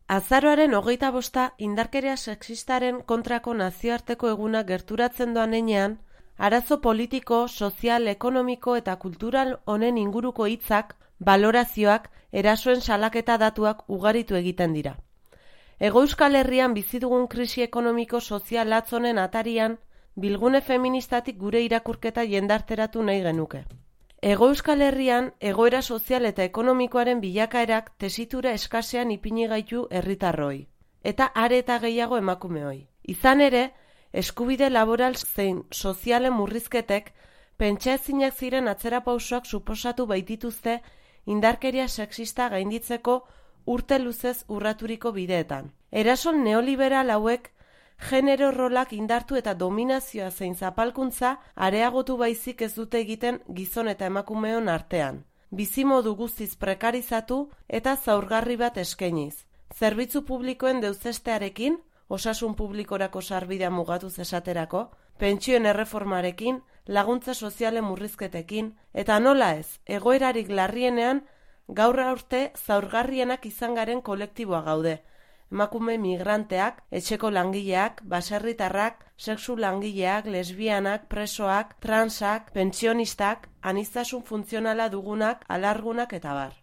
Azaroaren 25 indarkeria sexistaren kontrako nazioarteko eguna gerturatzen doan heinean, arazo politiko, sozial, ekonomiko eta kultural honen inguruko hitzak, balorazioak, erasoen salaketa datuak ugaritu egiten dira. Hego Euskal Herrian bizi dugun krisi ekonomiko sozial latz honen atarian, bilgune feministatik gure irakurketa jendarteratu nahi genuke. Hego Euskal Herrian egoera sozial eta ekonomikoaren bilakaerak tesitura eskasean ipini gaitu herritarroi, eta are eta gehiago emakumeoi. Izan ere, eskubide laboral zein sozialen murrizketek pentsaezinak ziren atzerapausoak suposatu baitituzte indarkeria sexista gainditzeko urte luzez urraturiko bideetan. Eraso neoliberal hauek genero rolak indartu eta dominazioa zein zapalkuntza areagotu baizik ez dute egiten gizon eta emakumeon artean. Bizimodu guztiz prekarizatu eta zaurgarri bat eskainiz. Zerbitzu publikoen deuzestearekin, osasun publikorako sarbidea mugatuz esaterako, pentsioen erreformarekin, laguntza sozialen murrizketekin, eta nola ez, egoerarik larrienean gaur arte zaurgarrienak izan garen kolektiboa gaude. Emakume migranteak, etxeko langileak, baserritarrak, sexu langileak, lesbianak, presoak, transak, pentsionistak, aniztasun funtzionala dugunak, alargunak eta bar.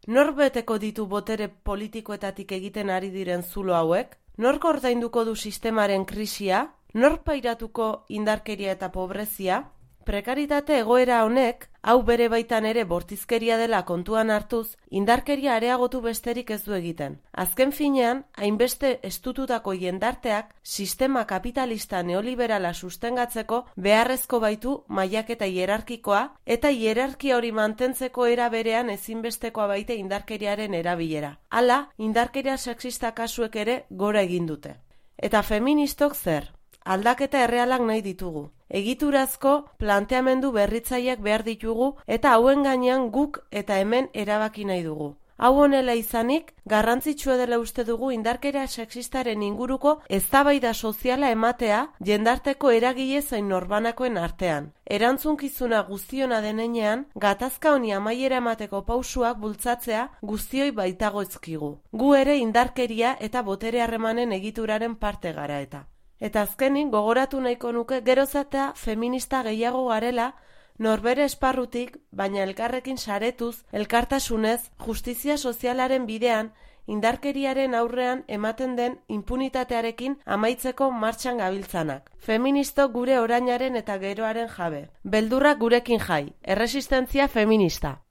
Nor beteko ditu botere politikoetatik egiten ari diren zulo hauek? Nor ordainduko du sistemaren krisia? Nor pairatuko indarkeria eta pobrezia? Prekaritate egoera honek, hau bere baitan ere bortizkeria dela kontuan hartuz, indarkeria areagotu besterik ez du egiten. Azken finean, hainbeste estututako jendarteak sistema kapitalista neoliberala sustengatzeko beharrezko baitu mailaketa hierarkikoa eta hierarkia hori mantentzeko era berean ezinbestekoa baite indarkeriaren erabilera. Hala, indarkeria sexista kasuek ere gora egin dute. Eta feministok zer? Aldaketa errealak nahi ditugu. Egiturazko planteamendu berritzaileak behar ditugu eta hauen gainean guk eta hemen erabaki nahi dugu. Hau honela izanik, garrantzitsua dela uste dugu indarkeria sexistaren inguruko eztabaida soziala ematea jendarteko eragile zein norbanakoen artean. Erantzunkizuna guztiona denean, gatazka honi amaiera emateko pausuak bultzatzea guztioi baitagoizkigu. Gu ere indarkeria eta botere harremanen egituraren parte gara eta. Eta azkenik gogoratu nahiko nuke geroz eta feminista gehiago garela norbere esparrutik, baina elkarrekin saretuz, elkartasunez, justizia sozialaren bidean, indarkeriaren aurrean ematen den impunitatearekin amaitzeko martxan gabiltzanak. Feministo gure orainaren eta geroaren jabe. Beldurrak gurekin jai. Erresistentzia feminista.